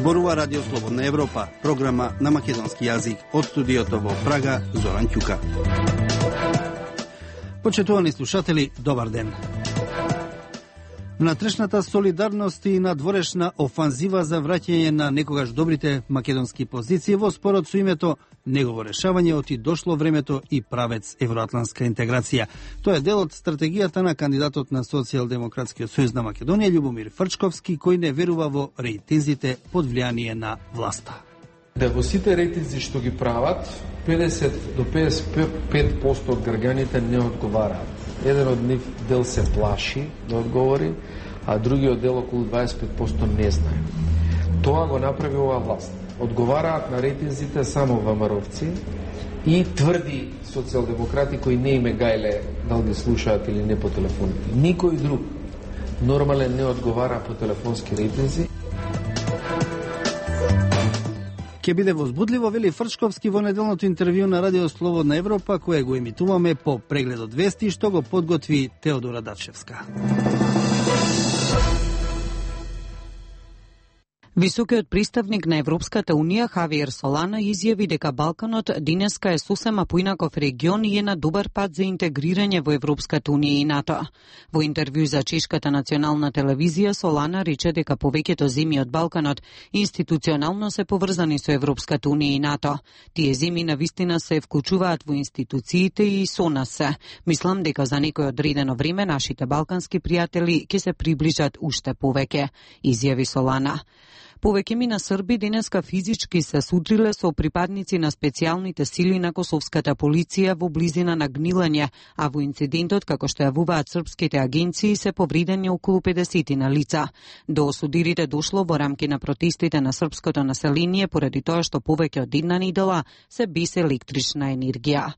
Зборува Радио Слободна Европа, програма на македонски јазик од студиото во Прага, Зоран Ќука. Почитувани слушатели, добар ден. Внатрешната солидарност и надворешна офанзива за враќање на некогаш добрите македонски позиции во спорот со името негово решавање оти дошло времето и правец евроатлантска интеграција. Тоа е дел од стратегијата на кандидатот на Социјалдемократскиот сојуз на Македонија Љубомир Фрчковски, кој не верува во рейтинзите под влијание на власта. Да во сите рейтинзи што ги прават, 50 до 55% од граѓаните не одговараат. Еден од нив дел се плаши да одговори, а другиот дел околу 25% не знае. Тоа го направи оваа власт. Одговараат на рейтинзите само ВМРО-вци и тврди социјалдемократи кои не име гајле дали ги слушаат или не по телефоните. Никој друг нормален не одговара по телефонски рейтинзи. Ке биде возбудливо, вели Фрчковски во неделното интервју на Радио Слободна Европа, кое го емитуваме по преглед од вести, што го подготви Теодора Дачевска. Високиот представник на Европската Унија Хавиер Солана изјави дека Балканот денеска е сосема поинаков регион и е на добар пат за интегрирање во Европската Унија и НАТО. Во интервју за чешката национална телевизија Солана рече дека повеќето земји од Балканот институционално се поврзани со Европската Унија и НАТО. Тие земји навистина се вклучуваат во институциите и со нас се. Мислам дека за некој одредено време нашите балкански пријатели ќе се приближат уште повеќе, изјави Солана. Повеќе мина Срби денеска физички се судриле со припадници на специјалните сили на косовската полиција во близина на Гнилање, а во инцидентот, како што јавуваат српските агенции, се повредени околу 50 на лица. До осудирите дошло во рамки на протестите на српското население поради тоа што повеќе од една недела се без електрична енергија.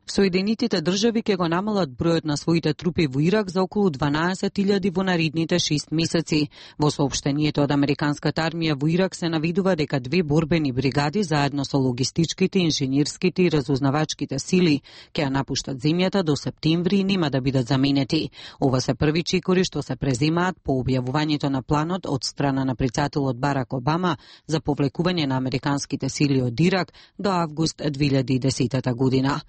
Соединетите држави ќе го намалат бројот на своите трупи во Ирак за околу 12.000 во наредните 6 месеци. Во соопштението од американската армија во Ирак се навидува дека 2 борбени бригади заедно со логистичките, инженерските и разузнавачките сили ќе ја напуштат земјата до септември и нема да бидат заменети. Ова се први чекори што се преземаат по објавувањето на планот од страна на председателот Барак Обама за повлекување на американските сили од Ирак до август 2010 година.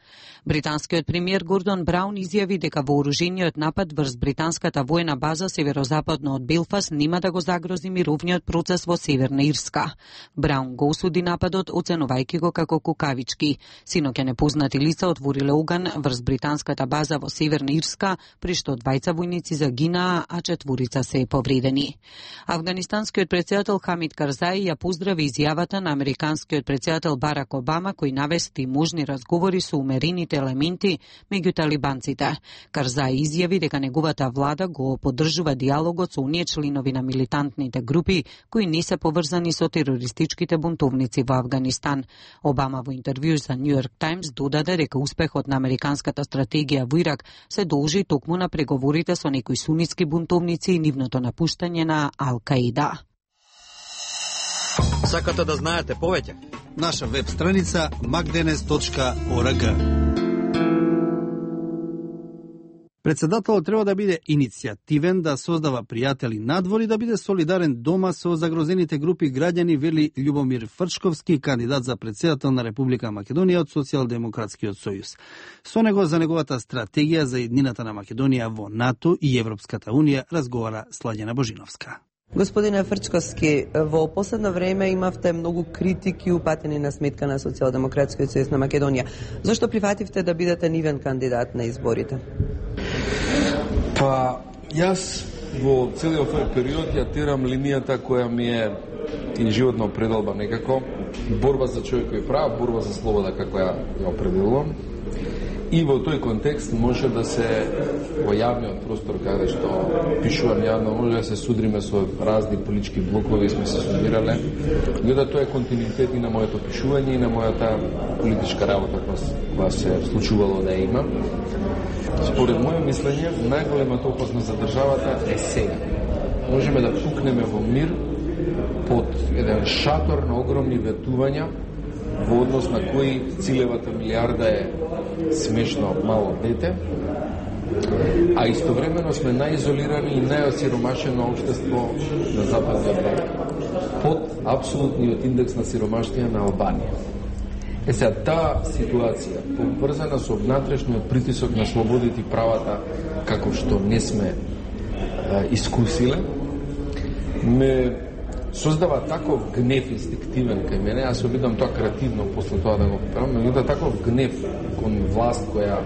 Британскиот премиер Гордон Браун изјави дека вооружениот напад врз британската воена база северозападно од Белфаст нема да го загрози мировниот процес во Северна Ирска. Браун го осуди нападот, оценувајќи го како кукавички. Синоќа непознати лица отвориле оган врз британската база во Северна Ирска, при што 2 војници загинаа, а 4 се повредени. Афганистанскиот председател Хамид Карзаи ја поздрави изјавата на американскиот председател Барак Обама, кој навести можни разговори со умерените елементи меѓу талибанците. Карзаи изјави дека неговата влада го поддржува диалогот со оние членови на милитантните групи кои не се поврзани со терористичките бунтовници во Афганистан. Обама во интервју за Нью Йорк Таймс додаде дека успехот на американската стратегија во Ирак се должи токму на преговорите со некои сунитски бунтовници и нивното напуштање на Ал-Каида. Сакате да знаете повеќе? Наша веб страница macdenes.org. Председателот треба да биде иницијативен, да создава пријатели надвор и да биде солидарен дома со загрозените групи граѓани, вели Љубомир Фрчковски, кандидат за председател на Република Македонија од Социјалдемократскиот сојуз. Со него за неговата стратегија за еднината на Македонија во НАТО и Европската Унија разговара Сладјана Божиновска. Господине Фрчковски, во последно време имавте многу критики упатени на сметка на Социјалдемократскиот сојуз на Македонија. Зошто прифативте да бидете нивен кандидат на изборите? Па, јас во целиот овој период ја терам линијата која ми е и животно определба некако. Борба за човекови права, борба за слобода како ја определувам. И во тој контекст може да се во јавниот простор каде што пишувам јавно, може да се судриме со разни политички блокови, сме се судирале. Гледа тоа е континуитет и на моето пишување и на мојата политичка работа која се случувало да има. Според моје мислење, најголемата опасност за државата е сега. Можеме да пукнеме во мир под еден шатор на огромни ветувања во однос на кои целевата милиарда е смешно мало дете, а истовремено сме најизолирани и најосиромашено општество на Западниот Балкан. под апсолутниот индекс на сиромаштија на Албанија. Сега, таа ситуација, поврзана со внатрешниот притисок на слободите и правата, како што не сме искусиле, ме создава таков гнев инстинктивен кај мене, јас се обидам тоа креативно после тоа да го правам, меѓутоа таков гнев кон власт која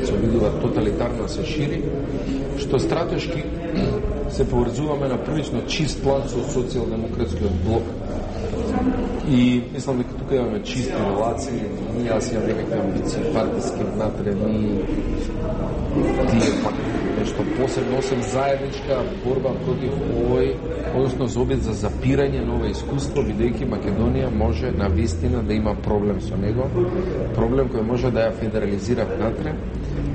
се обидува тоталитарно да се шири, што стратешки се поврзуваме на прилично чист план со социјалдемократскиот блок. И мислам дека тука имаме чисти релации, ние јас имам некакви амбиции партиски внатре, ние тие пак нешто посебно, осем заедничка борба против овој, односно за обид за запирање на ова искуство, бидејќи Македонија може на вистина да има проблем со него, проблем кој може да ја федерализира внатре,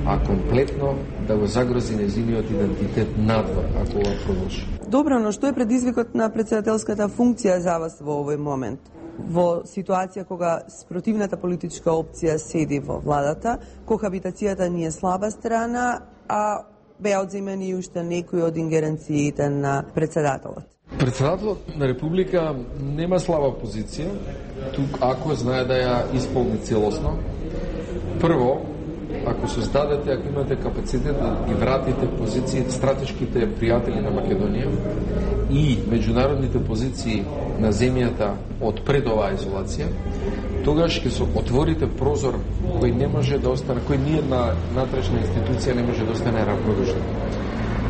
а комплетно да го загрози нејзиниот идентитет надвор, ако ова продолжи. Добро, но што е предизвикот на претседателската функција за вас во овој момент? Во ситуација кога спротивната политичка опција седи во владата, кохабитацијата ни е слаба страна, а беа одземени и уште некои од ингеренциите на претседателот. Претседателот на Република нема слаба позиција, тук ако знае да ја исполни целосно. Прво, ако создадете, ако имате капацитет да ги вратите позиции стратешките пријатели на Македонија и меѓународните позиции на земјата од пред оваа изолација, тогаш ќе се отворите прозор кој не може да остане, кој ние на натрешна институција не може да остане равнодушна.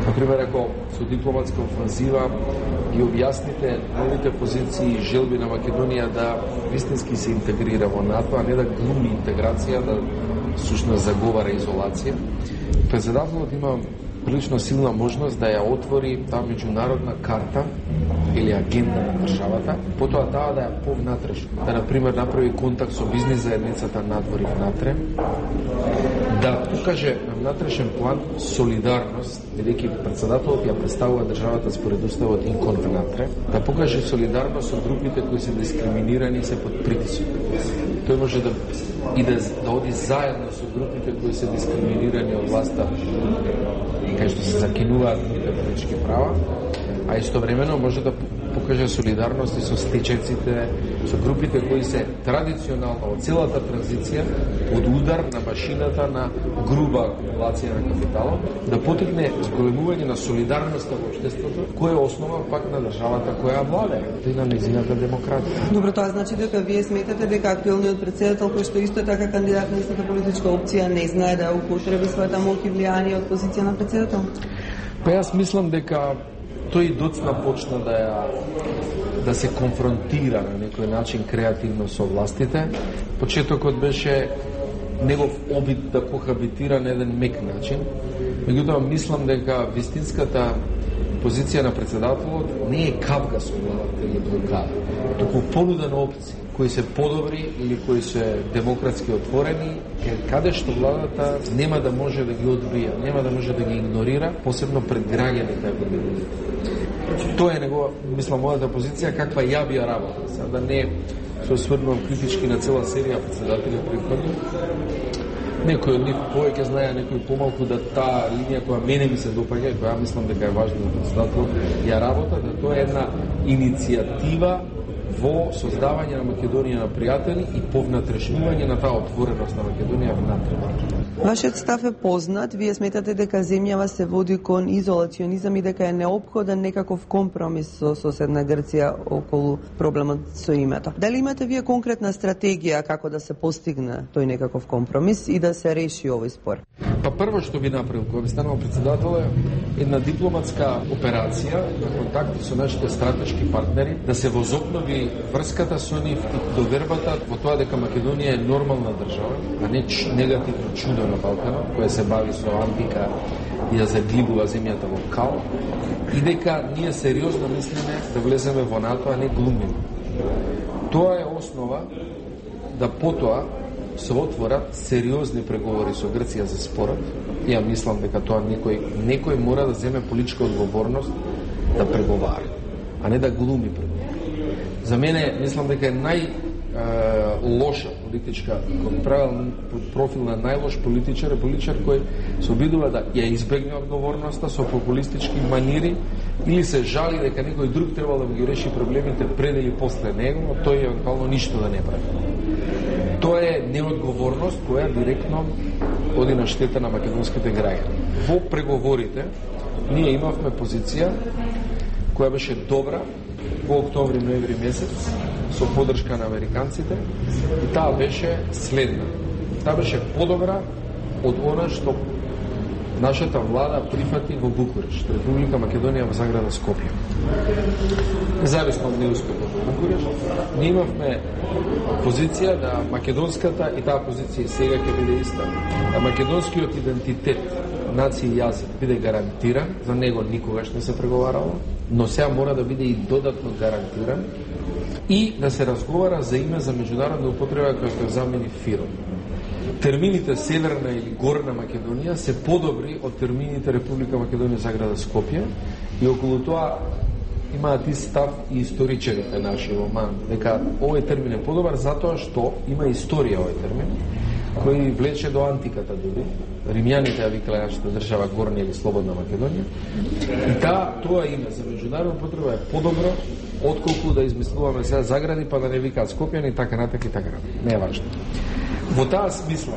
Например, ако со дипломатска офанзива ги објасните новите позиции и желби на Македонија да вистински се интегрира во НАТО, а не да глуми интеграција, да сушно заговара изолација. Претседателот има прилично силна можност да ја отвори таа меѓународна карта или агенда на државата, потоа таа да ја повнатрешно, да, например, направи контакт со бизнис заедницата надвор и внатре, да покаже на внатрешен план солидарност, бидејќи претседателот ја представува државата според уставот и кон внатре, да покаже солидарност со групите кои се дискриминирани и се под притисок. Тој може да иде да оди заедно со групите кои се дискриминирани од власта, кај што се закинуваат политички права, а истовремено може да покаже солидарност и со стечеците, со групите кои се традиционално од целата транзиција од удар на машината на груба акумулација на капиталот, да потикне зголемување на солидарноста во општеството, која е основа пак на државата која владее, и на нејзината демократија. Добро, тоа значи дека вие сметате дека актуелниот претседател, кој што исто така кандидат на истата политичка опција, не знае да употреби својата моќ и влијание од позиција на претседател? Па јас мислам дека тој доцна почна да се конфронтира на некој начин креативно со властите. Почетокот беше негов обид да кохабитира на еден мек начин. Меѓутоа, мислам дека вистинската позиција на претседателот не е кавга со владата или блокада, туку понуда на опции кои се подобри или кои се демократски отворени, каде што владата нема да може да ги одбија, нема да може да ги игнорира, посебно пред граѓаните ако ги види. Тоа е негова, мислам, мојата позиција, каква ја би ја работа. Сега да не се осврнувам критички на цела серија претседатели претходни. Некој од нив повеќе знае, некој помалку, да таа линија која мене ми се допаѓа, која мислам дека е важна за претседателот, ја работа, да тоа е една иницијатива во создавање на Македонија на пријатели и повнатрешнување на таа отвореност на Македонија внатре. Вашиот став е познат. Вие сметате дека земјава се води кон изолационизам и дека е неопходен некаков компромис со соседна Грција околу проблемот со името. Дали имате вие конкретна стратегија како да се постигне тој некаков компромис и да се реши овој спор? Па прво што би направил кога би станал претседател е една дипломатска операција на контакти со нашите стратешки партнери, да се возобнови врската со нив и довербата во тоа дека Македонија е нормална држава, а не негативно чудо на Балканот, која се бави со антика и да заглибува земјата во кал, и дека ние сериозно мислиме да влеземе во НАТО, а не глумиме. Тоа е основа да потоа се отворат сериозни преговори со Грција за спорот. Ја мислам дека тоа некој мора да земе политичка одговорност да преговара, а не да глуми преговори. За мене, мислам дека е лоша политичка, правил профил на најлош политичар кој се обидува да ја избегне одговорноста со популистички манири или се жали дека некој друг требал да ги реши проблемите пред или после него, но тој евентуално ништо да не прави. Тоа е неодговорност која директно оди на штета на македонските граѓани. Во преговорите ние имавме позиција која беше добра во октомври-ноември месец со поддршка на американците и таа беше следна. Таа беше подобра од она што нашата влада прифати во Букурешт, Република Македонија во заграда Скопје. Независно од неуспехот во Букурешт, ние имавме позиција да македонската, и таа позиција сега ќе биде иста, да македонскиот идентитет, нација и јазик биде гарантиран, за него никогаш не се преговарало, но сега мора да биде и додатно гарантиран и да се разговара за име за меѓународна употреба која ќе замени ФИРОМ. Термините Северна или Горна Македонија се подобри од термините Република Македонија заграда Скопје и околу тоа имаат и став и историчарите наши во МАН, дека овој термин е подобар затоа што има историја овој термин, кој влече до антиката дури. Римјаните ја викале нашата држава Горна или Слободна Македонија. И тоа име за меѓународна употреба е подобро отколку да измислуваме сега загради па да не викаат Скопјани и така натака и така натака. Не е важно. Во таа смисла,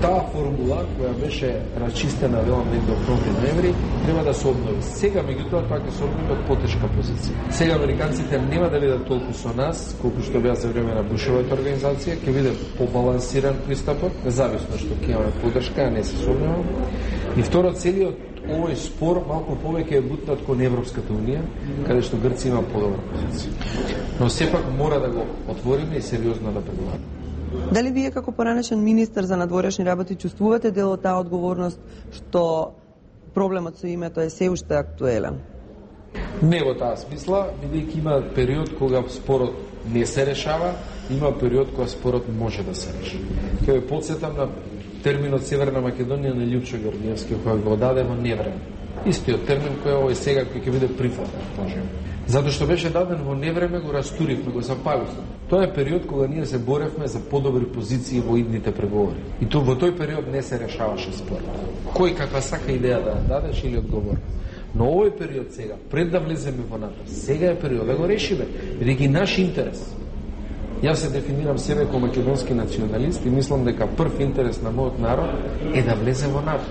таа формула која беше расчистена велам до октомври-ноември треба да се обнови. Сега меѓутоа тоа ќе се обнови од потешка позиција. Сега американците нема да бидат толку со нас колку што беа за време на Бушовата организација, ќе биде побалансиран пристапот, независно што ќе имаме поддршка, а не се сомневам. И второ, целиот овој спор малку повеќе е бутнат кон Европската унија, каде што Грција има подобра позиција. Но сепак мора да го отвориме и сериозно да преговараме. Дали вие како поранешен министер за надворешни работи чувствувате дел од таа одговорност што проблемот со името е се уште актуелен? Не во таа смисла, бидејќи има период кога спорот не се решава, има период кога спорот може да се реши. Ќе ве потсетам на терминот Северна Македонија на Љупчо Георгиевски, кој го даде во невреме. Истиот термин кој овој сега ќе биде прифатен, можеме. Затоа што беше даден во невреме, го растуривме, го запаливме. Тоа е период кога ние се боревме за подобри позиции во идните преговори. И во тој период не се решаваше спорот. Кој каква сака идеја да дадеш или одговор. Но овој период сега, пред да влеземе во НАТО, сега е период да го решиме, бидејќи наш интерес. Јас се дефинирам себе како македонски националист и мислам дека прв интерес на мојот народ е да влезе во НАТО.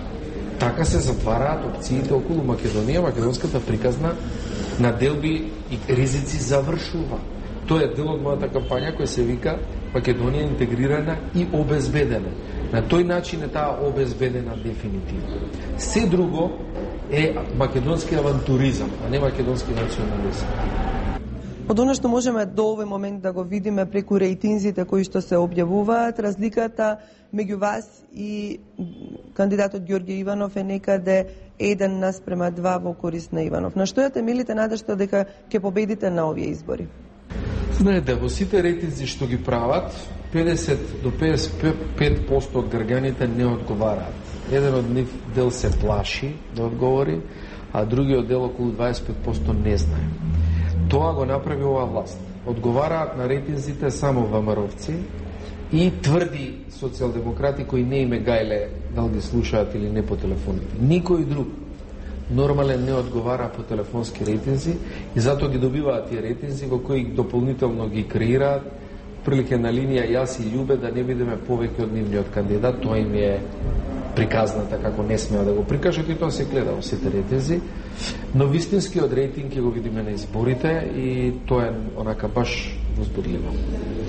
Така се затвараат опциите околу Македонија, македонската приказна на делби и ризици завршува. Тоа е дел од мојата кампања која се вика Македонија интегрирана и обезбедена. На тој начин е таа обезбедена дефинитивно. Се друго е македонски авантуризам, а не македонски национализам. Од она што можеме до овој момент да го видиме преку рейтинзите кои што се објавуваат, разликата меѓу вас и кандидатот Ѓорѓе Иванов е некаде 1:2 во корист на Иванов. На што ја темелите надежта дека ќе победите на овие избори? Знаете, во сите рейтинзи што ги прават, 50 до 55% од граѓаните не одговараат. Еден од нив дел се плаши да одговори, а другиот дел околу 25% не знае. Тоа го направи оваа власт. Одговараат на рейтинзите само ВМРО-вци и тврди социјалдемократи кои не име гајле дали ги слушаат или не по телефоните. Никој друг нормален не одговара по телефонски рейтинзи и затоа ги добиваат тие рейтинзи во кои дополнително ги креираат прилike на линија јас и Љубе да не бидеме повеќе од нивниот кандидат. Тоа им е приказната како не смеа да го прикажат и тоа се гледа во сите рейтинзи. Но вистинскиот рейтинг ќе го видиме на изборите и тоа е онака баш возбудливо.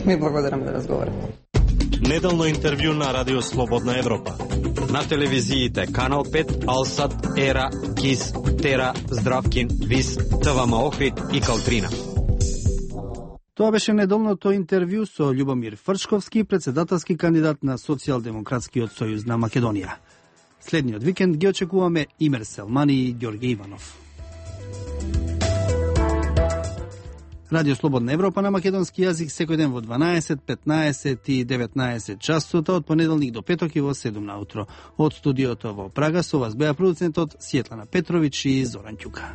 Ми благодарам за разговорот. Неделно интервју на Радио Слободна Европа. На телевизиите Канал 5, Алсат, Ера, КИС, Тера, Здравкин, ВИС, ТВМ Охрид и Калтрина. Тоа беше неделното интервју со Љубомир Фрчковски, председателски кандидат на Социјалдемократскиот сојуз на Македонија. Следниот викенд ги очекуваме Имер Селмани и Ѓорѓе Иванов. Радио Слободна Европа на македонски јазик секој ден во 12, 15 и 19 часот, од понеделник до петок и во 7 наутро. Од студиото во Прага со вас беа продуцентот Сјетлана Петровиќ и Зоран Ќука.